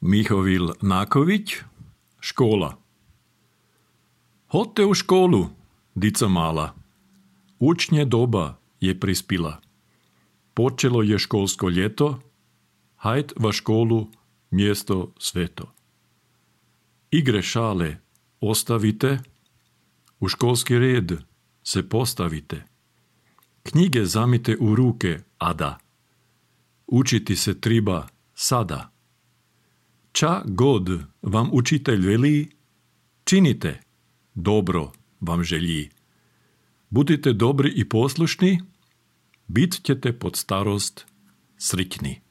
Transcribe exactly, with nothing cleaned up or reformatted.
Mihovil Naković, škola. Hodte u školu, dica mala. Učnje doba je prispila. Počelo je školsko ljeto, hajd va školu, mjesto sveto. Igre šale ostavite, u školski red se postavite. Knjige zamite u ruke, ada. Učiti se triba sada. Ča god vam učitelj veli, činite, dobro vam želji. Budite dobri i poslušni, bit ćete pod starost sritni.